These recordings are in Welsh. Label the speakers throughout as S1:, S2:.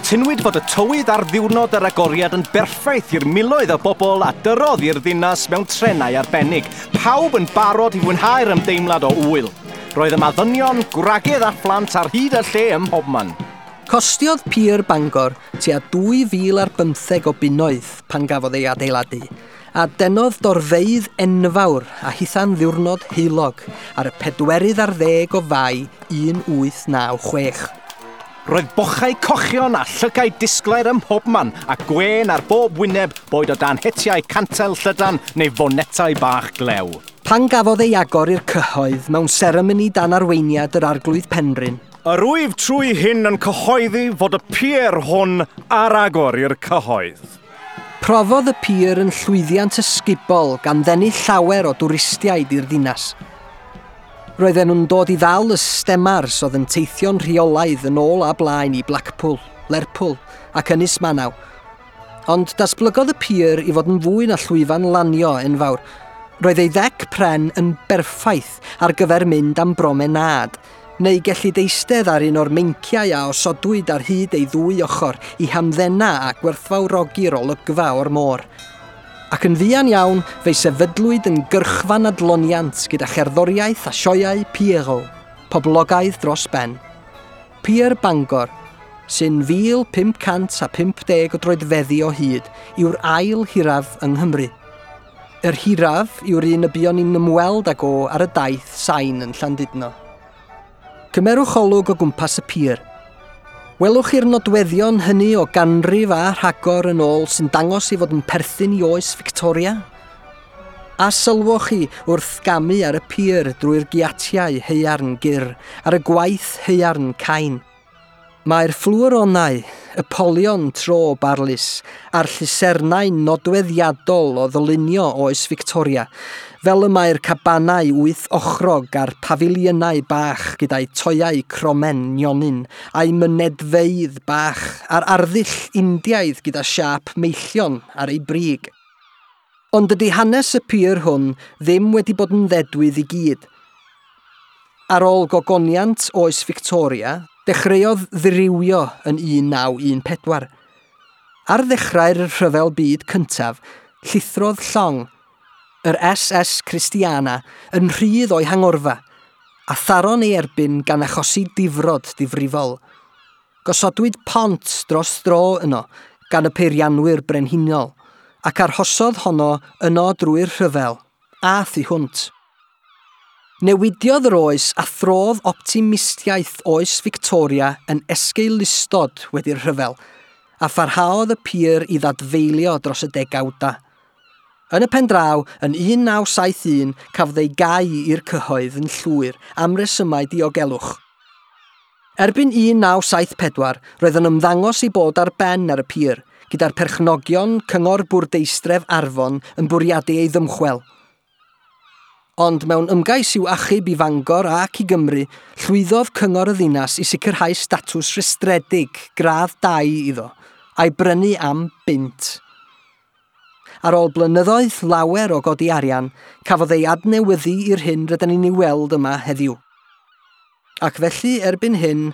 S1: Cytunwyd fod y tywydd ar ddiwrnod yr agoriad yn berffaith i'r miloedd o bobl a dyrodd i'r ddinas mewn trenau arbennig, pawb yn barod i fwynhau'r ymdeimlad o ŵyl. Roedd yma ddynion, gwragedd a phlant ar hyd y lle ym mhobman.
S2: Costiodd Pier Bangor tua 2,015 o bunnoedd pan gafodd ei adeiladu, a denodd dorfeydd enfawr a hitha'n ddiwrnod heulog ar y 14 o Fai 1896.
S1: Roedd bochau cochion a llygaid disglair ym mhobman a gwên ar bob wyneb, boed o dan hetiau cantel llydan neu fonetau bach glew.
S2: Pan gafodd ei agor i'r cyhoedd mewn seremoni dan arweiniad yr Arglwydd Penrhyn,
S1: Yr wyf trwy hyn yn cyhoeddi fod y pier hwn ar agor i'r cyhoedd.
S2: Profodd y pier yn llwyddiant ysgubol gan ddenu llawer o dwristiaid i'r ddinas. Roedden nhw'n dod i ddal y stemars oedd yn teithio'n rheolaidd yn ôl a blaen i Blackpool, Lerpwl ac Ynys Manaw. Ond datblygodd y pier i fod yn fwy na llwyfan lanio enfawr. Roedd ei ddec pren yn berffaith ar gyfer mynd am bromenâd, neu gellid eistedd ar un o'r meinciau a osodwyd ar hyd ei ddwy ochr i hamddena a gwerthfawrogi'r olygfa o'r môr. Ac yn fuan iawn, fe'i sefydlwyd yn gyrchfan adloniant gyda cherddoriaeth a sioeau Pierrot, poblogaidd dros ben. Pier Bangor, sy'n 1,550 o droedfeddi o hyd, yw'r ail hiraf yng Nghymru. Yr hiraf yw'r un y buon ni'n ymweld ag o ar y daith sain yn Llandudno. Cymerwch olwg o gwmpas y pier. Welwch chi'r nodweddion hynny o ganrif a rhagor yn ôl sy'n dangos ei fod yn perthyn i oes Victoria? A sylwch chi wrth gamu ar y pier drwy'r giatiau haearn gyr, ar y gwaith haearn cain. Mae'r fflwyronau, y polion tro barlys, a'r llusernau nodweddiadol o ddylunio oes Victoria, fel y mae'r cabanau wyth ochrog a'r pafiliynau bach gyda'i toiau cromen nionyn, a'i mynedfeydd bach, a'r arddull Indiaidd gyda siâp meillion ar ei brig. Ond dydy hanes y pier hwn ddim wedi bod yn ddedwydd i gyd. Ar ôl gogoniant oes Victoria, dechreuodd ddirywio yn 1914. Ar ddechrau'r Rhyfel Byd Cyntaf, llithrodd llong, yr SS Christiana, yn rhydd o'i hangorfa, a tharo'n ei erbyn gan achosi difrod difrifol. Gosodwyd pont dros dro yno gan y peirianwyr brenhinol, ac arhosodd honno yno drwy'r rhyfel, a thu hwnt. Newidiodd yr oes a throdd optimistiaeth oes Victoria yn esgeulustod wedi'r rhyfel, a pharhaodd y pier i ddadfeilio dros y degawda. Yn y pen draw, yn 1971, cafodd ei gau i'r cyhoedd yn llwyr am resymau diogelwch. Erbyn 1974, roedd yn ymddangos i bod ar ben ar y pier, gyda'r perchnogion Cyngor Bwrdeistref Arfon yn bwriadu ei ddymchwel. Ond mewn ymgais i'w achub i Fangor ac i Gymru, llwyddodd Cyngor y Ddinas i sicrhau statws rhestredig gradd 2 iddo, a'i brynu am bunt. Ar ôl blynyddoedd lawer o godi arian, cafodd ei adnewyddu i'r hyn rydyn ni'n ei weld yma heddiw. Ac felly erbyn hyn,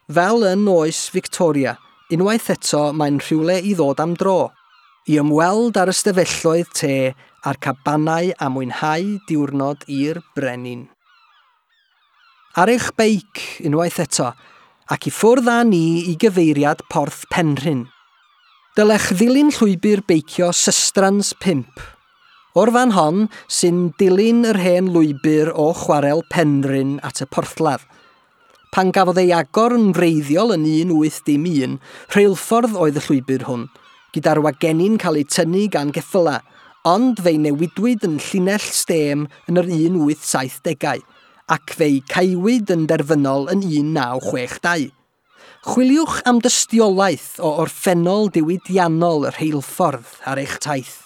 S2: fel yn oes Victoria, unwaith eto mae'n rhywle i ddod am dro, i ymweld ar ystafelloedd te a'r cabanau a mwynhau diwrnod i'r brenin. Ar eich beic unwaith eto, ac i ffwrdd â ni i gyfeiriad Porth Penrhyn. Dylech ddilyn llwybr beicio Sustrans 5. O'r fan hon sy'n dilyn yr hen lwybr o Chwarel Penrhyn at y porthladd. Pan gafodd ei agor yn wreiddiol yn 1811, rheilffordd oedd y llwybr hwn, gyda'r wagenni'n cael eu tynnu gan geffylau, ond fe'i newidwyd yn llinell stêm yn yr 1870au, ac fe'i caewyd yn derfynol yn 1962. Chwiliwch am dystiolaeth o orffennol diwydiannol y rheilffordd ar eich taith.